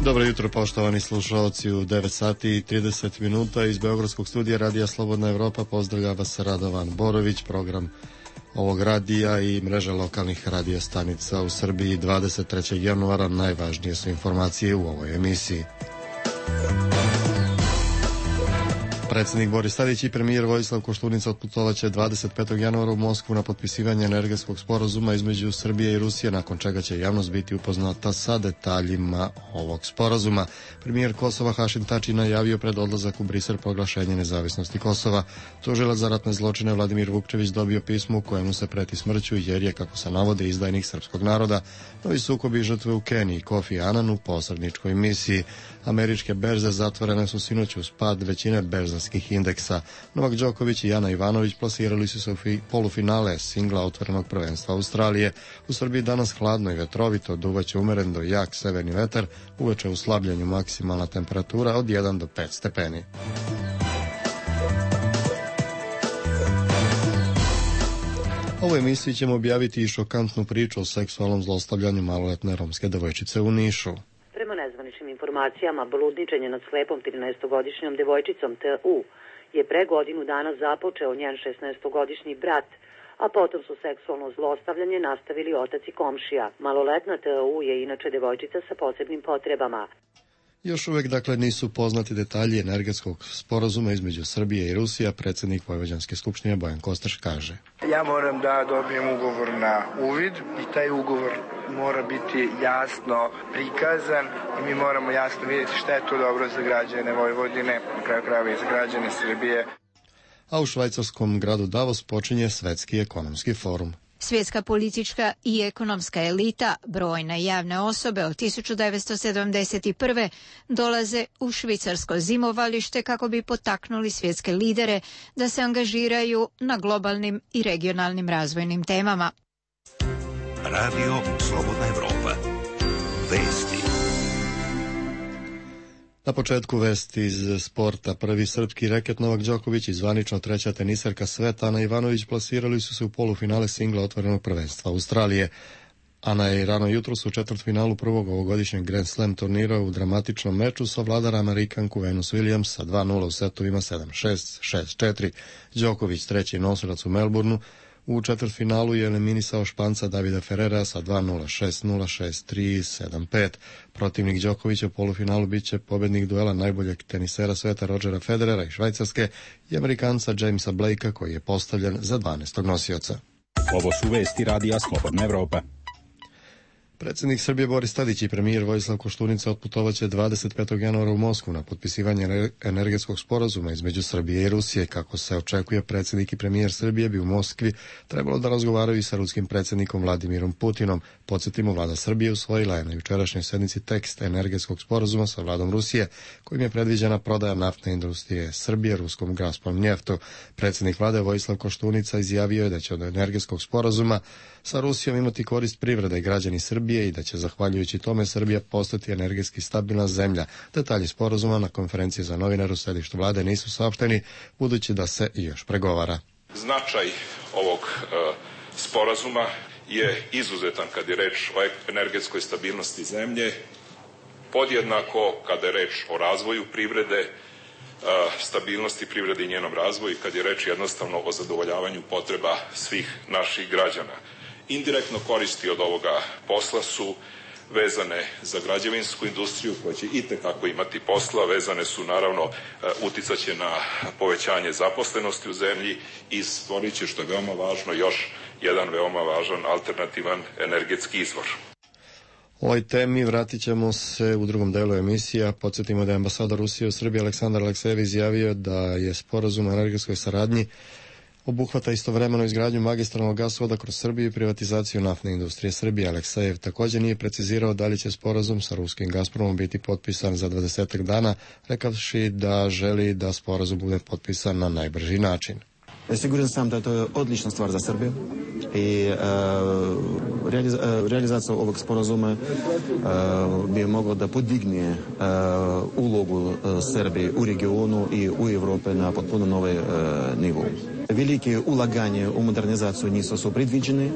Dobro jutro, poštovani slušalci, u 9 sati i 30 minuta iz Beogradskog studija Radija Slobodna Evropa pozdravlja vas Radovan Borović. Program ovog radija i mreža lokalnih radija stanica u Srbiji 23. januara. Najvažnije su informacije u ovoj emisiji. Predsjednik Boris Tadić i premijer Vojislav Koštunica otputovaće 25. januara u Moskvu na potpisivanje energetskog sporazuma između Srbije i Rusije, nakon čega će javnost biti upoznata sa detaljima ovog sporazuma. Premijer Kosova Hašim Tači najavio pred odlazak u Brisel proglašenje nezavisnosti Kosova. Tužilac za ratne zločine Vladimir Vukčević dobio pismo u kojemu se preti smrću jer je, kako se navode, izdajnik srpskog naroda. Novi sukobi žrtve u Keniji, Kofi Anan u posredničkoj misiji. Američke berze zatvorene su sinoć uz pad većine berzanskih indeksa. Novak Đoković i Ana Ivanović plasirali su se u polufinale singla otvorenog prvenstva Australije. U Srbiji danas hladno i vetrovito, duvaće umeren do jak severni vetar, uveče u slabljenju maksimalna temperatura od 1 do 5 stepeni. U ovoj emisiji ćemo objaviti i šokantnu priču o seksualnom zlostavljanju maloletne romske devojčice u Nišu. Prema nezvaničnim informacijama, bludničenje nad slepom 13-godišnjom devojčicom T.U. je pre godinu dana započeo njen 16-godišnji brat, a potom su seksualno zlostavljanje nastavili otac i komšija. Maloletna T.U. je inače devojčica sa posebnim potrebama. Još uvek, dakle, nisu poznati detalji energetskog sporazuma između Srbije i Rusije. Predsjednik Vojvođanske skupštine Bojan Kostreš kaže: Ja moram da dobijem ugovor na uvid i taj ugovor mora biti jasno prikazan i mi moramo jasno vidjeti šta je to dobro za građane Vojvodine, na kraju krajeva i za građane Srbije. A u švajcarskom gradu Davos počinje Svetski ekonomski forum. Svjetska politička i ekonomska elita, brojne javne osobe od 1971. dolaze u švicarsko zimovalište kako bi potaknuli svjetske lidere da se angažiraju na globalnim i regionalnim razvojnim temama. Radio Slobodna Evropa. Vesti. Na početku vesti iz sporta. Prvi srpski reket Novak Đoković i zvanično treća teniserka sveta Ana Ivanović plasirali su se u polufinale singla otvorenog prvenstva Australije. Ana je rano jutros u četvrtfinalu prvog ovogodišnjeg Grand Slam turnira u dramatičnom meču savladala Amerikanku Venus Williams sa 2-0 u setovima 7-6, 6-4. Đoković, treći nosilac u Melbourneu, u četvrtfinalu je eliminisao Španca Davida Ferrera sa 2-0, 6-0, 6-3, 7-5. Protivnik Đokovića u polufinalu biće pobednik duela najboljeg tenisera sveta Rodgera Federera i Švajcarske i Amerikanca Jamesa Blakea, koji je postavljen za 12. nosioca. Ovo su vesti Radija Slobodna Evropa. Predsjednik Srbije Boris Tadić i premijer Vojislav Koštunica otputovaće 25. januara u Moskvu na potpisivanje energetskog sporazuma između Srbije i Rusije. Kako se očekuje, predsjednik i premijer Srbije bi u Moskvi trebalo da razgovaraju i sa ruskim predsjednikom Vladimirom Putinom. Podsjetimo, vlada Srbije usvojila je na jučerašnjoj sednici tekst energetskog sporazuma sa vladom Rusije, kojim je predviđena prodaja naftne industrije Srbije ruskom Gazprom njeftu. Predsjednik vlade Vojislav Koštunica izjavio je da će od energetskog sporazuma sa Rusijom imati korist privreda i građani Srbije i da će, zahvaljujući tome, Srbija postati energetski stabilna zemlja. Detalji sporazuma na konferenciji za novinare u sedištu vlade nisu saopšteni, budući da se i još pregovara. Značaj ovog sporazuma je izuzetan kad je reč o energetskoj stabilnosti zemlje, podjednako kada je reč o razvoju privrede, stabilnosti privrede i njenom razvoju i kad je reč jednostavno o zadovoljavanju potreba svih naših građana. Indirektno koristi od ovoga posla su vezane za građevinsku industriju koja će itekako imati posla, vezane su naravno, uticaće na povećanje zaposlenosti u zemlji i stvorit će, što je veoma važno, još jedan veoma važan alternativan energetski izvor. O ovoj temi vratit ćemo se u drugom delu emisija. Podsjetimo da je ambasador Rusije u Srbiji Aleksandar Aleksejev izjavio da je sporazum o energetskoj saradnji obuhvata istovremeno izgradnju magistralnog gasovoda kroz Srbiju i privatizaciju naftne industrije Srbije. Aleksejev također nije precizirao da li će sporazum sa ruskim Gazpromom biti potpisan za 20 dana, rekavši da želi da sporazum bude potpisan na najbrži način. Siguran sam da to je odlična stvar za Srbiju i realizacija ovog sporazuma bi mogla da podigne ulogu Srbije u regionu i u Evropi na potpuno nove nivo. Velike ulaganje u modernizaciju nisu predviđene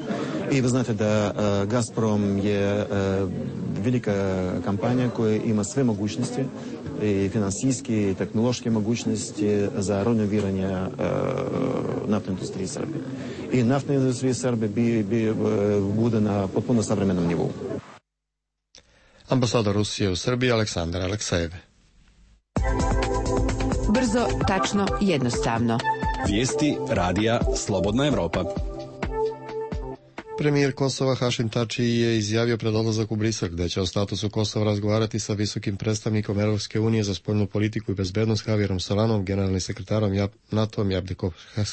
i vi znate da Gazprom je velika kampanja koja ima sve mogućnosti, i finansijske i tehnološke mogućnosti za renoviranje naftne industrije Srbije. I naftna industrija Srbije bude na potpuno savremenom nivou. Ambasador Rusije u Srbiji Aleksandar Aleksejev. Brzo, tačno, jednostavno. Vijesti radija Slobodna Evropa. Premijer Kosova Hašim Tači je izjavio pred odlazak u Brisel, gde će o statusu Kosova razgovarati sa visokim predstavnikom Europske unije za spoljnu politiku i bezbednost Javierom Solanom, generalnim sekretarom NATO-om Jabdekom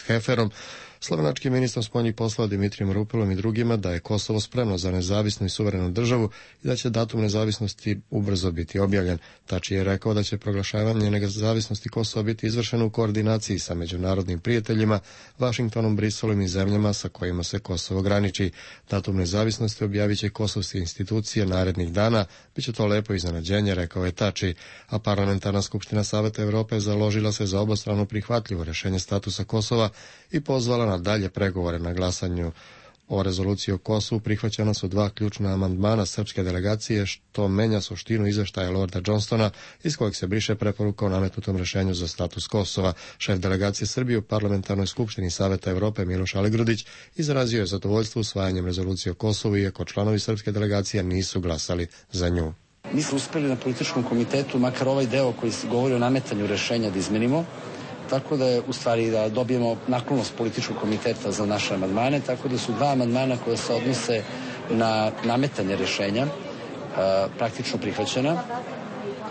Heferom, slovenačkim ministrom spoljnih poslova Dimitrijem Rupelom i drugima, da je Kosovo spremno za nezavisnu i suverenu državu i da će datum nezavisnosti ubrzo biti objavljen. Tači je rekao da će proglašavanje nezavisnosti Kosova biti izvršeno u koordinaciji sa međunarodnim prijateljima, Vašingtonom, Briselom i zemljama sa kojima se Kosovo graniči. Datum nezavisnosti objavit će kosovske institucije narednih dana, biće to lepo iznenađenje, rekao je Tači, a Parlamentarna skupština Saveta Evrope založila se za obostrano prihvatljivo rešenje statusa Kosova i pozvala na dalje pregovore. Na glasanju o rezoluciji o Kosovu prihvaćena su 2 ključna amandmana srpske delegacije, što menja suštinu izveštaja Lorda Johnstona, iz kojeg se briše preporuka o nametnutom rešenju za status Kosova. Šef delegacije Srbije u Parlamentarnoj skupštini Saveta Evrope Miloš Aligrudić izrazio je zadovoljstvo usvajanjem rezolucije o Kosovu, iako članovi srpske delegacije nisu glasali za nju. Mi smo uspeli na političkom komitetu, makar ovaj deo koji se govori o nametanju rešenja, da izmenimo, tako da je u stvari da dobijemo naklonost političkog komiteta za naše amandmane, tako da su 2 amandmana koje se odnose na nametanje rešenja praktično prihvaćena,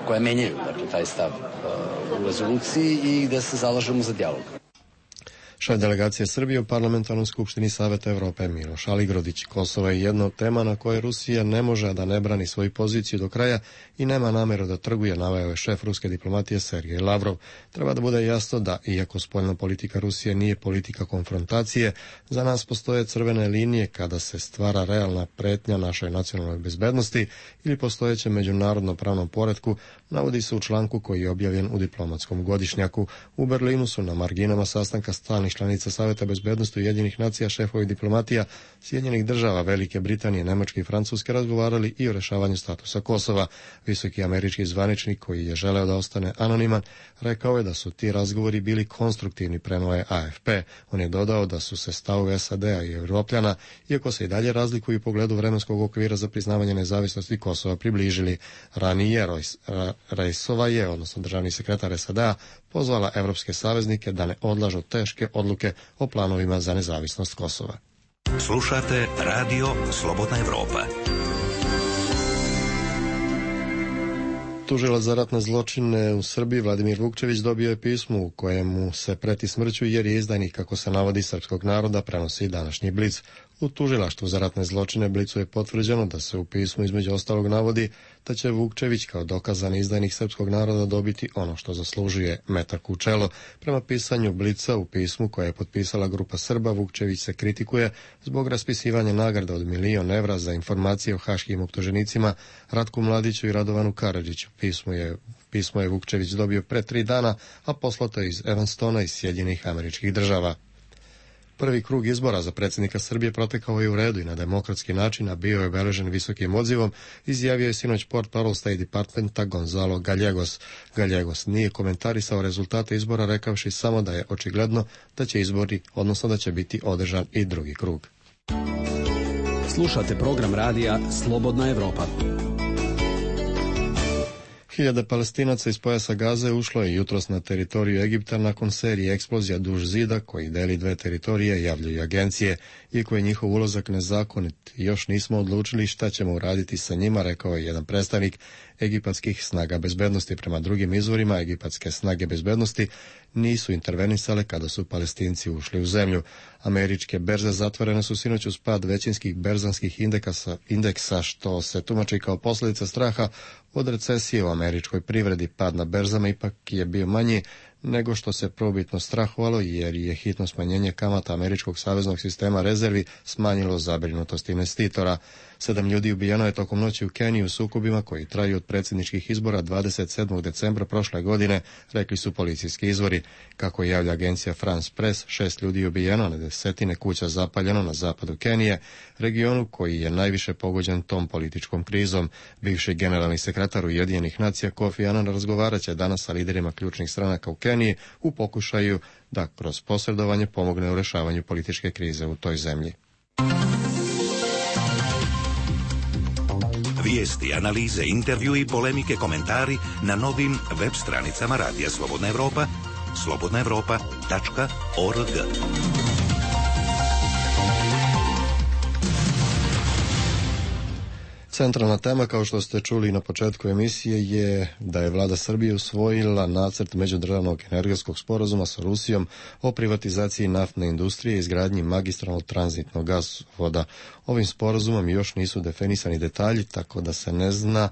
koja menjaju taj stav u rezoluciji i gde se zalažemo za dijalog. Šef delegacije Srbije u Parlamentarnoj skupštini Saveta Evrope Miloš Aligrudić. Kosovo je jedna od tema na kojoj Rusija ne može da ne brani svoju poziciju do kraja i nema nameru da trguje, naveo je šef ruske diplomatije Sergej Lavrov. Treba da bude jasno da, iako spoljna politika Rusije nije politika konfrontacije, za nas postoje crvene linije kada se stvara realna pretnja našoj nacionalnoj bezbednosti ili postojećem međunarodnom pravnom poretku, navodi se u članku koji je objavljen u diplomatskom godišnjaku. U Berlinu su na marginama sastanka stalnih članica Saveta bezbednosti Ujedinjenih nacija šefovi diplomatija Sjedinjenih država, Velike Britanije, Nemačke i Francuske razgovarali i o rešavanju statusa Kosova. Visoki američki zvaničnik, koji je želeo da ostane anoniman, rekao je da su ti razgovori bili konstruktivni, prenuo je AFP. On je dodao da su se stavovi SAD-a i Evropljana, iako se i dalje razlikuju u pogledu vremenskog okvira za priznavanje nezavisnosti Kosova, približili. Ranije Rejsova je, odnosno državni sekretar SAD-a, pozvala evropske saveznike da ne odlažu teške odluke o planovima za nezavisnost Kosova. Slušate Radio Slobodna Evropa. Tužilac za ratne zločine u Srbiji Vladimir Vukčević dobio je pismo u kojemu se preti smrću jer je izdajnik, kako se navodi, srpskog naroda, prenosi današnji Blic. U tužilaštvu za ratne zločine Blicu je potvrđeno da se u pismu između ostalog navodi da će Vukčević kao dokazani izdajnik srpskog naroda dobiti ono što zaslužuje, metak u čelo. Prema pisanju Blica u pismu koje je potpisala grupa Srba, Vukčević se kritikuje zbog raspisivanja nagrada od 1.000.000 evra za informacije o haškim optuženicima Ratku Mladiću i Radovanu Karadžiću. Pismo je Vukčević dobio pre 3 dana, a poslato je iz Evanstona iz Sjedinjenih Američkih Država. Prvi krug izbora za predsjednika Srbije protekao je u redu i na demokratski način, a bio je obeležen visokim odzivom, izjavio je sinoć portparol State Departmenta Gonzalo Gallegos. Gallegos nije komentarisao rezultate izbora, rekavši samo da je očigledno da će izbori, odnosno da će biti održan i drugi krug. Slušate program radija Slobodna Evropa. Hiljade Palestinaca iz pojasa Gaze ušlo je jutros na teritoriju Egipta nakon serije eksplozija duž zida koji deli 2 teritorije, javljaju agencije. Iako je njihov ulazak nezakonit, još nismo odlučili šta ćemo uraditi sa njima, rekao je jedan predstavnik egipatskih snaga bezbednosti. Prema drugim izvorima, egipatske snage bezbednosti nisu intervenisale kada su Palestinci ušli u zemlju. Američke berze zatvorene su sinoć uz pad većinskih berzanskih indeksa, što se tumači kao posljedica straha od recesije u američkoj privredi. Pad na berzama ipak je bio manji nego što se prvobitno strahovalo, jer je hitno smanjenje kamata američkog saveznog sistema rezervi smanjilo zabrinutost investitora. 7 ljudi ubijeno je tokom noći u Keniji u sukobima koji traju od predsjedničkih izbora 27. decembra prošle godine, rekli su policijski izvori. Kako javlja agencija France Press, 6 ljudi je ubijeno, na desetine kuća zapaljeno na zapadu Kenije, regionu koji je najviše pogođen tom političkom krizom. Bivši generalni sekretar Ujedinjenih nacija Kofi Annan razgovarat će danas sa liderima ključnih stranaka u Keniji u pokušaju da kroz posredovanje pomogne u rešavanju političke krize u toj zemlji. Vijesti, analize, intervju i polemike, komentari na novim web stranicama Radija Slobodna Evropa, slobodnaevropa.org. Centralna tema, kao što ste čuli na početku emisije, je da je vlada Srbije usvojila nacrt međudržavnog energetskog sporazuma sa Rusijom o privatizaciji naftne industrije i izgradnji magistralnog tranzitnog gasovoda. Ovim sporazumom još nisu definisani detalji, tako da se ne zna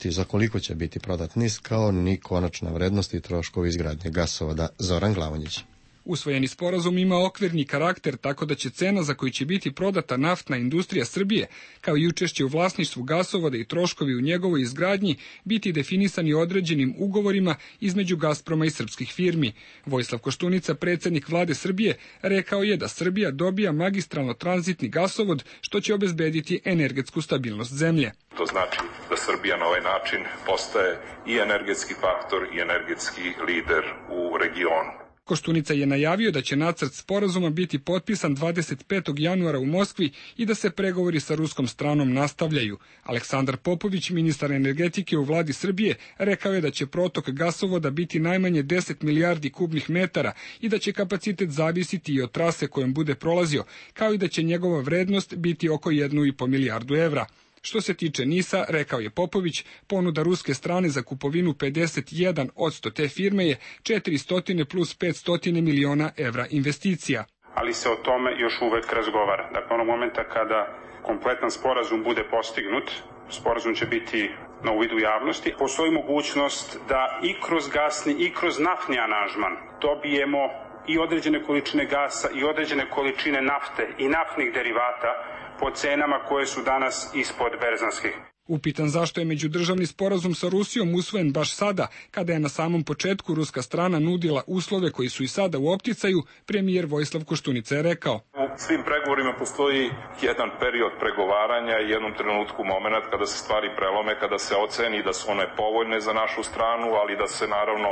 za koliko će biti prodat NIS, kao ni konačna vrednost i troškovi izgradnje gasovoda. Zoran Glavonjić. Usvojeni sporazum ima okvirni karakter, tako da će cena za koju će biti prodata naftna industrija Srbije, kao i učešće u vlasništvu gasovoda i troškovi u njegovoj izgradnji, biti definisani određenim ugovorima između Gazproma i srpskih firmi. Vojislav Koštunica, predsjednik vlade Srbije, rekao je da Srbija dobija magistralno tranzitni gasovod, što će obezbediti energetsku stabilnost zemlje. To znači da Srbija na ovaj način postaje i energetski faktor i energetski lider u regionu. Koštunica je najavio da će nacrt sporazuma biti potpisan 25. januara u Moskvi i da se pregovori sa ruskom stranom nastavljaju. Aleksandar Popović, ministar energetike u vladi Srbije, rekao je da će protok gasovoda biti najmanje 10 milijardi kubnih metara i da će kapacitet zavisiti i od trase kojom bude prolazio, kao i da će njegova vrednost biti oko 1,5 milijardu evra. Što se tiče NIS-a, rekao je Popović, ponuda ruske strane za kupovinu 51% te firme je 400 plus 500 miliona evra investicija. Ali se o tome još uvek razgovara. Dakle, onog momenta kada kompletan sporazum bude postignut, sporazum će biti na uvidu javnosti, postoji mogućnost da i kroz gasni i kroz naftni aranžman dobijemo i određene količine gasa i određene količine nafte i naftnih derivata po cenama koje su danas ispod berzanskih. Upitan zašto je međudržavni sporazum sa Rusijom usvojen baš sada, kada je na samom početku ruska strana nudila uslove koji su i sada u opticaju, premijer Vojislav Koštunica je rekao. U svim pregovorima postoji jedan period pregovaranja i jednom trenutku moment kada se stvari prelome, kada se oceni da su one povoljne za našu stranu, ali da se naravno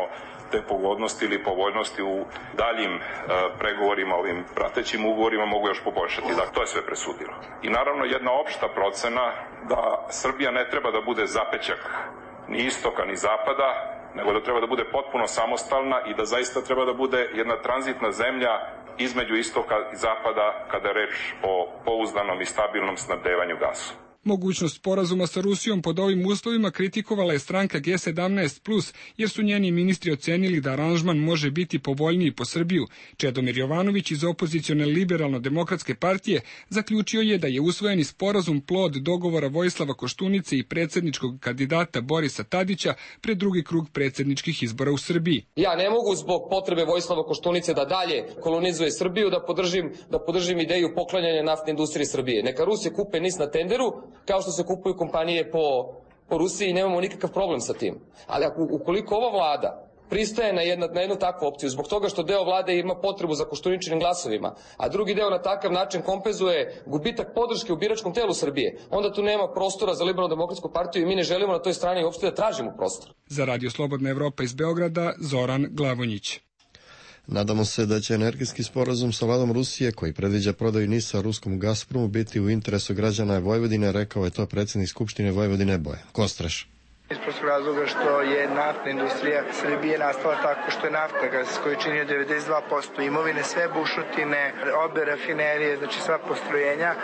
te pogodnosti ili povoljnosti u daljim pregovorima, ovim pratećim ugovorima mogu još poboljšati. Dakle, to je sve presudilo. I naravno jedna opšta procena da Srbija ne treba da bude zapećak ni istoka ni zapada, nego da treba da bude potpuno samostalna i da zaista treba da bude jedna tranzitna zemlja između istoka i zapada kada je reč o pouzdanom i stabilnom snabdevanju gasom. Mogućnost sporazuma sa Rusijom pod ovim uslovima kritikovala je stranka G17+, jer su njeni ministri ocenili da aranžman može biti povoljniji po Srbiju. Čedomir Jovanović iz opozicione liberalno-demokratske partije zaključio je da je usvojeni sporazum plod dogovora Vojislava Koštunice i predsjedničkog kandidata Borisa Tadića pred drugi krug predsjedničkih izbora u Srbiji. Ja ne mogu zbog potrebe Vojislava Koštunice da dalje kolonizuje Srbiju da podržim ideju poklanjanja naftne industrije Srbije. Neka Rusi kupe NIS na tenderu, kao što se kupuju kompanije po Rusiji, nemamo nikakav problem sa tim. Ali ukoliko ova vlada pristaje na jednu takvu opciju, zbog toga što deo vlade ima potrebu za Koštuničinim glasovima, a drugi deo na takav način kompenzuje gubitak podrške u biračkom telu Srbije, onda tu nema prostora za Liberalno-demokratsku partiju i mi ne želimo na toj strani uopšte da tražimo prostor. Za Radio Slobodna Evropa iz Beograda, Zoran Glavonjić. Nadamo se da će energetski sporazum sa vladom Rusije, koji predviđa prodaju NIS-a ruskom Gazpromu, biti u interesu građana Vojvodine, rekao je to predsjednik Skupštine Vojvodine Bojan Kostreš. Iz prostog razloga što je naftna industrija Srbije nastala tako što je naftagas koji čini 92% imovine, sve bušotine, obe rafinerije, znači sva postrojenja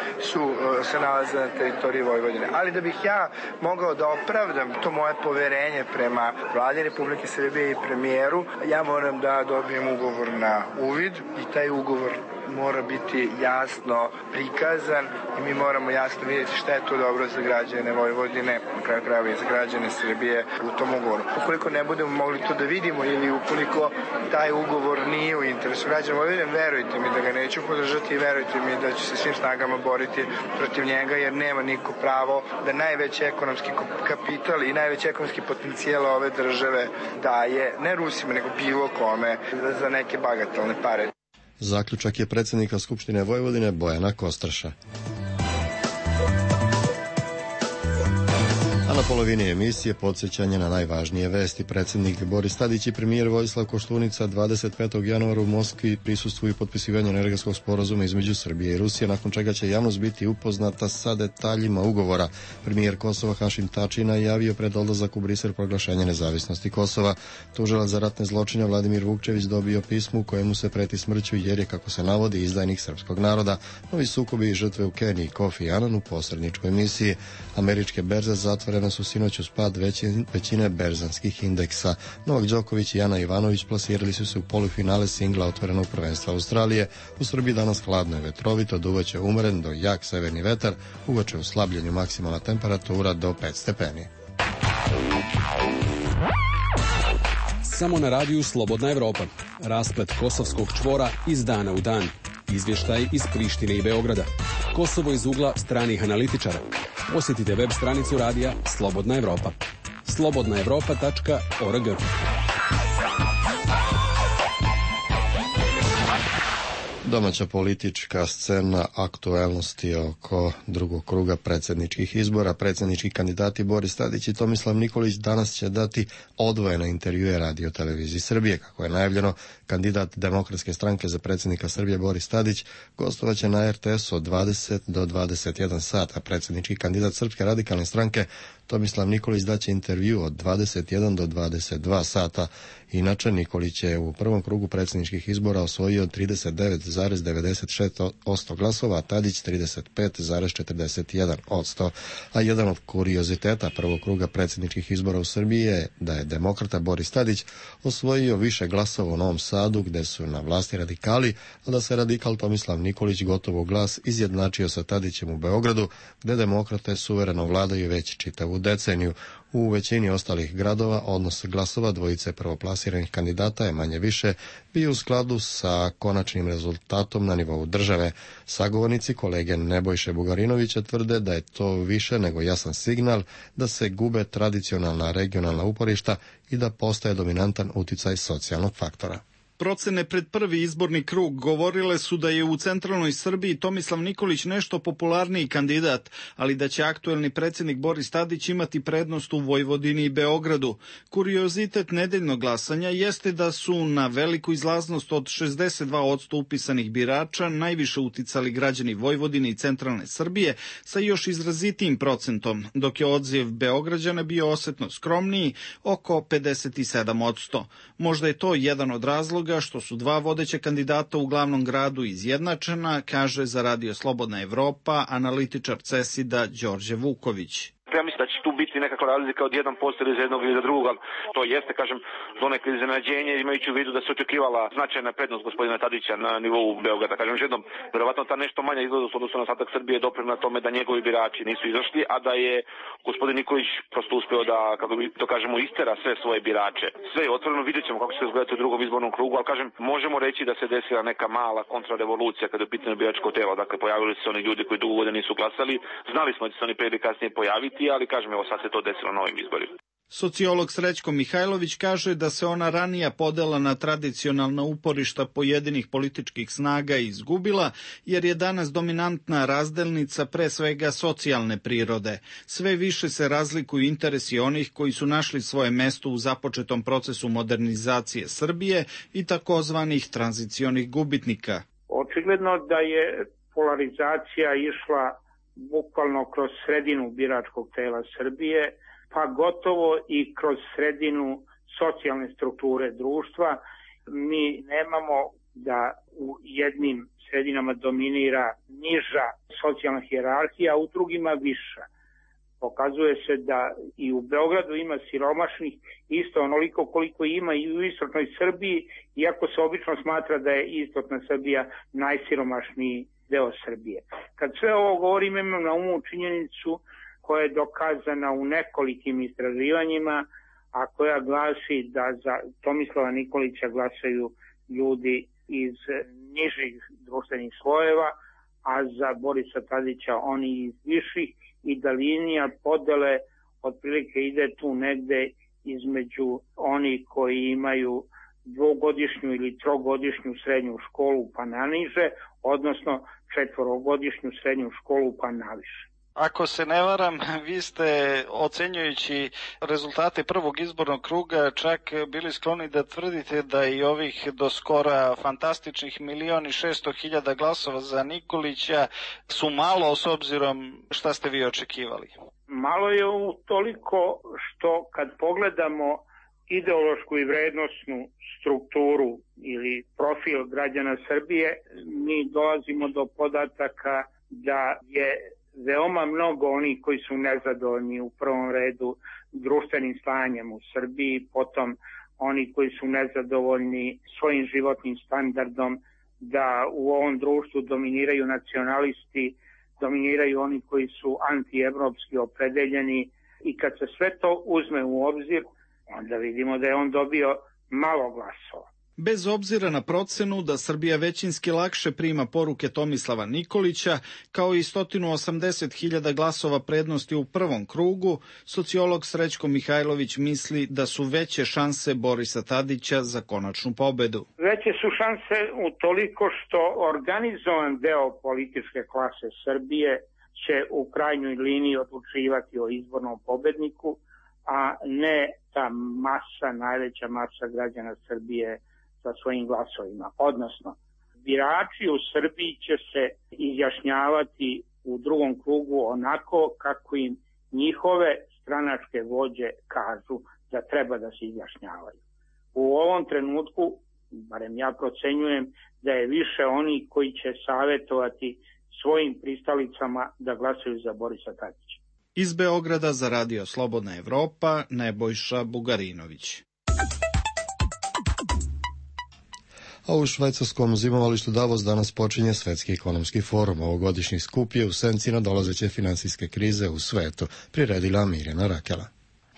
se nalaze na teritoriji Vojvodine. Ali da bih ja mogao da opravdam to moje poverenje prema vladi Republike Srbije i premijeru, ja moram da dobijem ugovor na uvid i taj ugovor mora biti jasno prikazan i mi moramo jasno vidjeti šta je to dobro za građane Vojvodine, na kraju krajeva i za građane Srbije u tom ugovoru. Ukoliko ne budemo mogli to da vidimo ili ukoliko taj ugovor nije u interesu građana Vojvodine, verujte mi da ga neću podržati i verujte mi da ću se svim snagama boriti protiv njega, jer nema niko pravo da najveći ekonomski kapital i najveći ekonomski potencijal ove države daje ne Rusima nego bilo kome za neke bagatelne pare. Zaključak je predsjednika Skupštine Vojvodine Bojana Kostraša. A na polovini emisije podsjećanje na najvažnije vesti. Predsjednik Boris Tadić i premijer Vojislav Koštunica 25. januara u Moskvi prisustvuju potpisivanju energetskog sporazuma između Srbije i Rusije, nakon čega će javnost biti upoznata sa detaljima ugovora. Premijer Kosova Hašim Tači najavio pred odlazak u Brisel proglašenje nezavisnosti Kosova. Tužilac za ratne zločine Vladimir Vukčević dobio pismo u kojemu se preti smrću jer je, kako se navodi, izdajnik srpskog naroda. Novi sukobi i žrtve u Keniji, Kofi Annan u posredničkoj misiji. Američke berze zatvorene su sinoć uz pad većine berzanskih indeksa. Novak Đoković i Ana Ivanović plasirali su se u polufinale singla otvorenog prvenstva Australije. U Srbiji danas hladno i vetrovito, duvaće umeren do jak severni vetar, uveče u slabljenju maksimalna temperatura do 5 stepeni. Samo na radiju Slobodna Evropa. Rasplet kosovskog čvora iz dana u dan. Izvještaj iz Prištine i Beograda. Kosovo iz ugla stranih analitičara. Posjetite web stranicu radija Slobodna Evropa. slobodnaevropa.org. Domaća politička scena, aktuelnosti oko drugog kruga predsjedničkih izbora. Predsjednički kandidati Boris Tadić i Tomislav Nikolić danas će dati odvojene intervjue Radio televiziji Srbije. Kako je najavljeno, kandidat Demokratske stranke za predsjednika Srbije Boris Tadić gostovaće na RTS od 20 do 21 sat, a predsjednički kandidat Srpske radikalne stranke Tomislav Nikolić daće intervju od 21 do 22 sata. Inače, Nikolić je u prvom krugu predsjedničkih izbora osvojio 39,96% glasova, a Tadić 35,41%. A jedan od kurioziteta prvog kruga predsjedničkih izbora u Srbiji je da je demokrata Boris Tadić osvojio više glasova u Novom Sadu, gde su na vlasti radikali, a da se radikal Tomislav Nikolić gotovo glas izjednačio sa Tadićem u Beogradu, gde demokrate suvereno vladaju već čitavu deceniju. U većini ostalih gradova odnos glasova dvojice prvoplasiranih kandidata je manje više bio u skladu sa konačnim rezultatom na nivou države. Sagovornici kolege Nebojše Bugarinovića tvrde da je to više nego jasan signal da se gube tradicionalna regionalna uporišta i da postaje dominantan uticaj socijalnog faktora. Procene pred prvi izborni krug govorile su da je u centralnoj Srbiji Tomislav Nikolić nešto popularniji kandidat, ali da će aktuelni predsjednik Boris Tadić imati prednost u Vojvodini i Beogradu. Kuriozitet nedeljnog glasanja jeste da su na veliku izlaznost od 62% upisanih birača najviše uticali građani Vojvodine i centralne Srbije sa još izrazitijim procentom, dok je odziv Beograđana bio osetno skromniji, oko 57%. Možda je to jedan od razloga što su dva vodeća kandidata u glavnom gradu izjednačena, kaže za Radio Slobodna Evropa analitičar CESID-a Đorđe Vuković. Ja mislim da će tu biti nekakva razlika od 1% ili za jednog ili za drugog, ali to jeste, kažem, donekle iznenađenje, imajući u vidu da se očekivala značajna prednost gospodina Tadića na nivou Beograda. Kažem još jednom, verovatno ta nešto manja izlaznost odnosno na ostatak Srbije doprinela tome da njegovi birači nisu izašli, a da je gospodin Nikolić prosto uspeo da, kako bi to kažemo, istera sve svoje birače. Sve je otvoreno, vidjet ćemo kako će se izgledati u drugom izbornom krugu, ali kažem, možemo reći da se desila neka mala kontrarevolucija kada je u pitanju biračko telo. Dakle, pojavili su se oni ljudi koji dugo godina nisu glasali, znali smo da će se oni prije ili kasnije pojaviti, ali kažem, evo sad se to desilo na ovim izborima. Sociolog Srećko Mihajlović kaže da se ona ranija podela na tradicionalna uporišta pojedinih političkih snaga izgubila, jer je danas dominantna razdelnica pre svega socijalne prirode. Sve više se razlikuju interesi onih koji su našli svoje mesto u započetom procesu modernizacije Srbije i takozvanih tranzicionih gubitnika. Očigledno da je polarizacija išla bukvalno kroz sredinu biračkog tela Srbije, pa gotovo i kroz sredinu socijalne strukture društva. Mi nemamo da u jednim sredinama dominira niža socijalna hijerarhija, a u drugima viša. Pokazuje se da i u Beogradu ima siromašnih isto onoliko koliko ima i u istočnoj Srbiji, iako se obično smatra da je istočna Srbija najsiromašniji deo Srbije. Kad sve ovo govorim, imam na umu činjenicu koja je dokazana u nekolikim istraživanjima, a koja glasi da za Tomislava Nikolića glasaju ljudi iz nižih društvenih slojeva, a za Borisa Tadića oni iz viših, i da linija podele otprilike ide tu negde između oni koji imaju dvogodišnju ili trogodišnju srednju školu pa naniže, odnosno četvorogodišnju srednju školu pa naviše. Ako se ne varam, vi ste, ocenjujući rezultate prvog izbornog kruga, čak bili skloni da tvrdite da i ovih do skora fantastičnih 1.600.000 glasova za Nikolića su malo s obzirom šta ste vi očekivali. Malo je toliko što kad pogledamo ideološku i vrednosnu strukturu ili profil građana Srbije, mi dolazimo do podataka da je veoma mnogo onih koji su nezadovoljni u prvom redu društvenim stanjem u Srbiji, potom oni koji su nezadovoljni svojim životnim standardom, da u ovom društvu dominiraju nacionalisti, dominiraju oni koji su antievropski opredeljeni, i kad se sve to uzme u obzir, onda vidimo da je on dobio malo glasova. Bez obzira na procenu da Srbija većinski lakše prima poruke Tomislava Nikolića, kao i 180.000 glasova prednosti u prvom krugu, sociolog Srećko Mihajlović misli da su veće šanse Borisa Tadića za konačnu pobedu. Veće su šanse utoliko što organizovan deo političke klase Srbije će u krajnjoj liniji odlučivati o izbornom pobedniku, a ne ta masa, najveća masa građana Srbije sa svojim glasovima. Odnosno, birači u Srbiji će se izjašnjavati u drugom krugu onako kako im njihove stranačke vođe kažu da treba da se izjašnjavaju. U ovom trenutku, barem ja procenjujem, da je više oni koji će savjetovati svojim pristalicama da glasaju za Borisa Tadića. Iz Beograda za Radio Slobodna Evropa, Nebojša Bugarinović. A u švajcarskom zimovalištu Davos danas počinje Svetski ekonomski forum. Ovogodišnji skup je u senci nadolazeće finansijske krize u svetu, priredila Mirjana Rakela.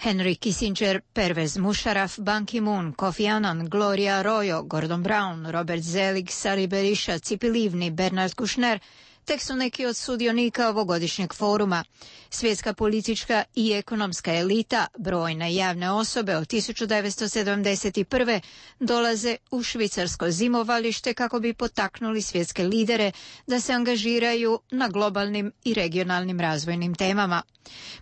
Henry Kissinger, Pervez Musharraf, Ban Ki-moon, Kofi Annan, Gloria Arroyo, Gordon Brown, Robert Zelig, Sali Berisha, Cipi Livni, Bernard Kouchner tek su neki od sudionika ovogodišnjeg foruma. Svjetska politička i ekonomska elita, brojne javne osobe od 1971. dolaze u švicarsko zimovalište kako bi potaknuli svjetske lidere da se angažiraju na globalnim i regionalnim razvojnim temama.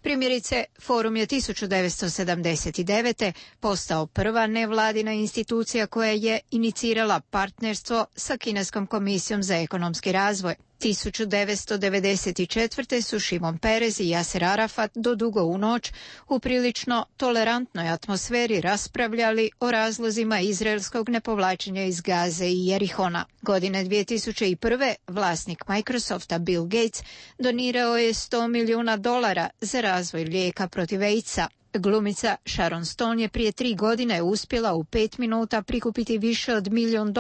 Primjerice, forum je 1979. postao prva nevladina institucija koja je inicirala partnerstvo sa Kineskom komisijom za ekonomski razvoj. 1994. su Šimon Perez i Jaser Arafat do dugo u noć u prilično tolerantnoj atmosferi raspravljali o razlozima izraelskog nepovlačenja iz Gaze i Jerihona. Godine 2001. vlasnik Microsofta Bill Gates donirao je $100 milijuna za razvoj lijeka protiv AIDS-a. Glumica Sharon Stone je prije 3 godine uspjela u 5 minuta prikupiti više od $1 milijun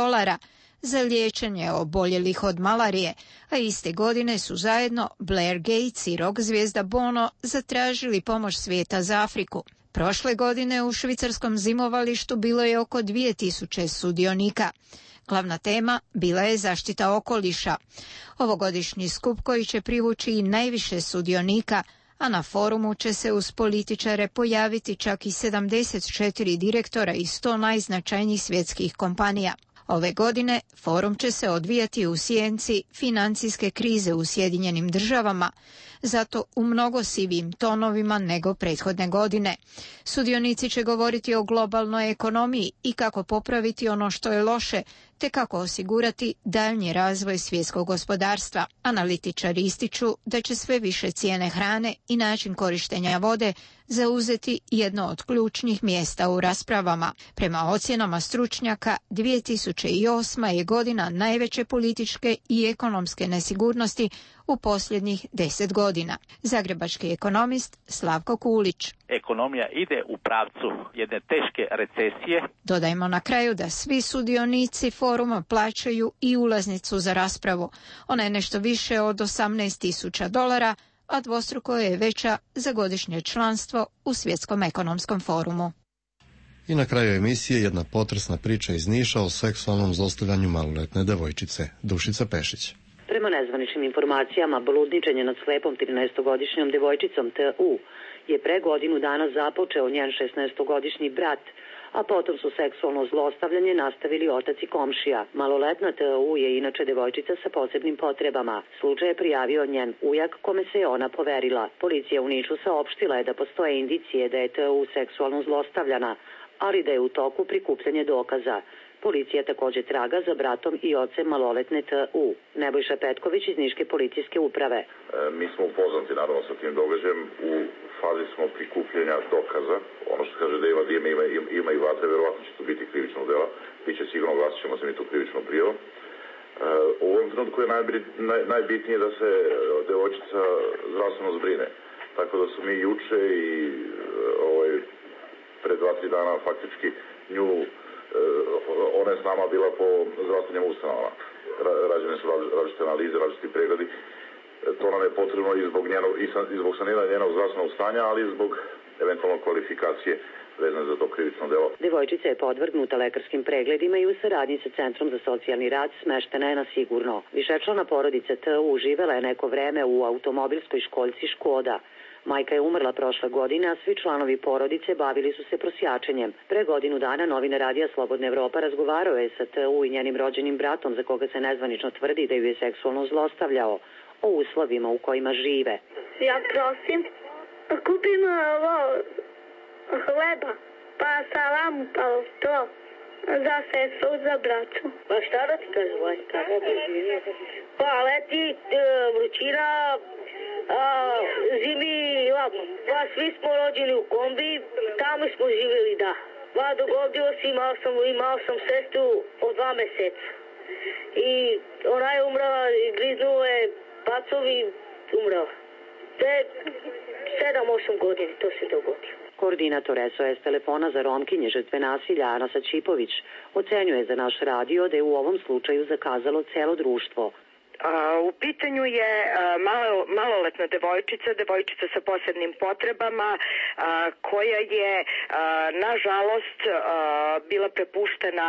za liječenje oboljelih od malarije, a iste godine su zajedno Blair Gates i rock zvijezda Bono zatražili pomoć svijeta za Afriku. Prošle godine u švicarskom zimovalištu bilo je oko 2000 sudionika. Glavna tema bila je zaštita okoliša. Ovogodišnji skup koji će privući i najviše sudionika, a na forumu će se uz političare pojaviti čak i 74 direktora i 100 najznačajnijih svjetskih kompanija. Ove godine forum će se odvijati u sjenci financijske krize u Sjedinjenim Državama, zato u mnogo sivijim tonovima nego prethodne godine. Sudionici će govoriti o globalnoj ekonomiji i kako popraviti ono što je loše, te kako osigurati daljnji razvoj svjetskog gospodarstva. Analitičari ističu da će sve više cijene hrane i način korištenja vode zauzeti jedno od ključnih mjesta u raspravama. Prema ocjenama stručnjaka, 2008. je godina najveće političke i ekonomske nesigurnosti u posljednjih 10 godina. Zagrebački ekonomist Slavko Kulić. Ekonomija ide u pravcu jedne teške recesije. Dodajmo na kraju da svi sudionici foruma plaćaju i ulaznicu za raspravu. Ona je nešto više od $18.000, a dvostruko je veća za godišnje članstvo u Svjetskom ekonomskom forumu. I na kraju emisije jedna potresna priča iz Niša o seksualnom zlostavljanju maloletne devojčice. Dušica Pešić. Prema nezvaničnim informacijama, bludničenje nad slepom 13-godišnjom devojčicom T.U. je pre godinu dana započeo njen 16-godišnji brat, a potom su seksualno zlostavljanje nastavili otac i komšija. Maloletna T.U. je inače devojčica sa posebnim potrebama. Slučaj je prijavio njen ujak, kome se je ona poverila. Policija u Nišu saopštila je da postoje indicije da je T.U. seksualno zlostavljana, ali da je u toku prikupljanje dokaza. Policija također traga za bratom i ocem maloletne T.U. Nebojša Petković iz Niške policijske uprave. Mi smo upoznati naravno sa tim događajem, u fazi smo prikupljanja dokaza. Ono što kaže da ima i vatre, verovatno će to biti krivično dela. Biće sigurno, glasit ćemo se mi tu krivično prijavom. U ovom trenutku je najbitnije da se devojčica zdravstveno zbrine. Tako da su mi juče i pre 2-3 dana faktički nju, ona je s nama bila po zdravstvenim ustanovama. Rađene su različite analize, različiti pregledi. To nam je potrebno i zbog saniranja njenog zdravstvenog stanja, ali i zbog eventualno kvalifikacije vezane za to krivično delo. Devojčica je podvrgnuta lekarskim pregledima i u saradnji sa Centrom za socijalni rad smeštena je na sigurno. Višečlana porodica T.U. živela je neko vreme u automobilskoj školjci Škoda. Majka je umrla prošle godine, a svi članovi porodice bavili su se prosjačenjem. Pre godinu dana novinar radija Slobodna Evropa razgovarao je sa T.U. i njenim rođenim bratom, za koga se nezvanično tvrdi da ju je seksualno zlostavljao, o uslovima u kojima žive. Ja prosim, kupim hleba, pa salamu, pa to, za sestru, za braću. Pa šta da ti kaže, Vojska? Pa leti vrućina, zimi ladno. Pa svi smo rođeni u kombi, tamo smo živjeli, da. Pa dogodilo se, imao sam sestru od 2 meseca. I ona je umrla, griznuo je pacovi, umrla. Te 7-8 godina to se dogodilo. Koordinator SOS telefona za Romkinje žrtve nasilja Ana Sačipović ocenjuje za naš radio da je u ovom slučaju zakazalo celo društvo. U pitanju je maloletna devojčica sa posebnim potrebama koja je nažalost bila prepuštena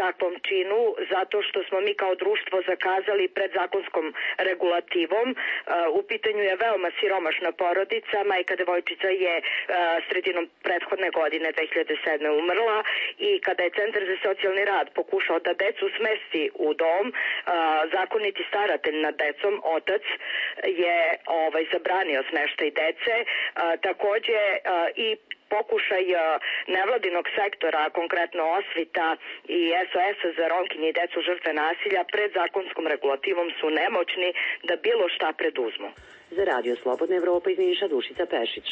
takvom činu zato što smo mi kao društvo zakazali pred zakonskom regulativom. U pitanju je veoma siromašna porodica, majka devojčica je sredinom prethodne godine 2007. umrla i kada je Centar za socijalni rad pokušao da decu smesti u dom, zakoniti staratelj nad decom, otac, je zabranio smeštaj dece. Takođe i pokušaj nevladinog sektora, konkretno Osvita i SOS-a za Romkinje i decu žrtve nasilja pred zakonskom regulativom su nemoćni da bilo šta preduzmu. Za Radio Slobodna Evropa iz Niša, Dušica Pešić.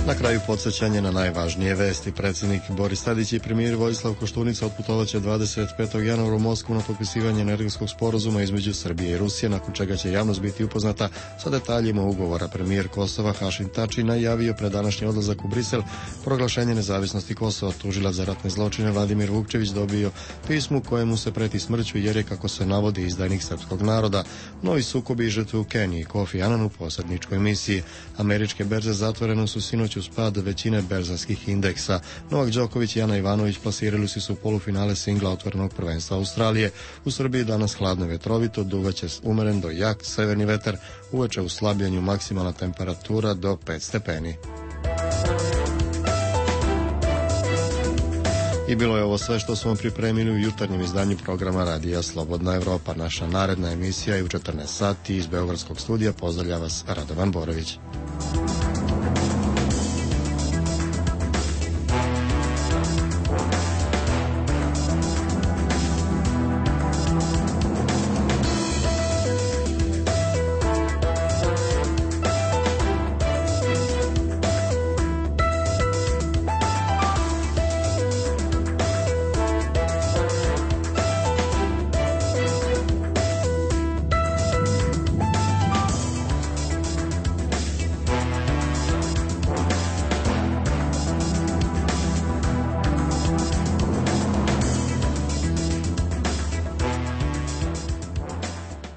Na kraju podsjećanje na najvažnije vesti. Predsjednik Boris Tadić i premijer Vojislav Koštunica otputovaće 25. januara u Moskvu na potpisivanje energetskog sporazuma između Srbije i Rusije, nakon čega će javnost biti upoznata sa detaljima ugovora. Premijer Kosova Hašim Tači najavio pred današnji odlazak u Brisel proglašenje nezavisnosti Kosova. Tužilac za ratne zločine Vladimir Vukčević dobio pismu kojemu se preti smrću jer je, kako se navodi, izdajnik srpskog naroda. Novi sukobi i žrtve u Keniji. Kofi Annan u posredničkoj misiji. Američke berze zatvorene su sinoć uz pad većine berzanskih indeksa. Novak Đoković i Ana Ivanović plasirali su u polufinale singla otvorenog prvenstva Australije. U Srbiji danas hladno vetrovito, duvaće umeren do jak severni vetar, uveče u slabljenju maksimalna temperatura do 5 stepeni. I bilo je ovo sve što smo pripremili u jutarnjem izdanju programa Radija Slobodna Evropa. Naša naredna emisija je u 14 sati iz Beogradskog studija. Pozdravlja vas Radovan Borović.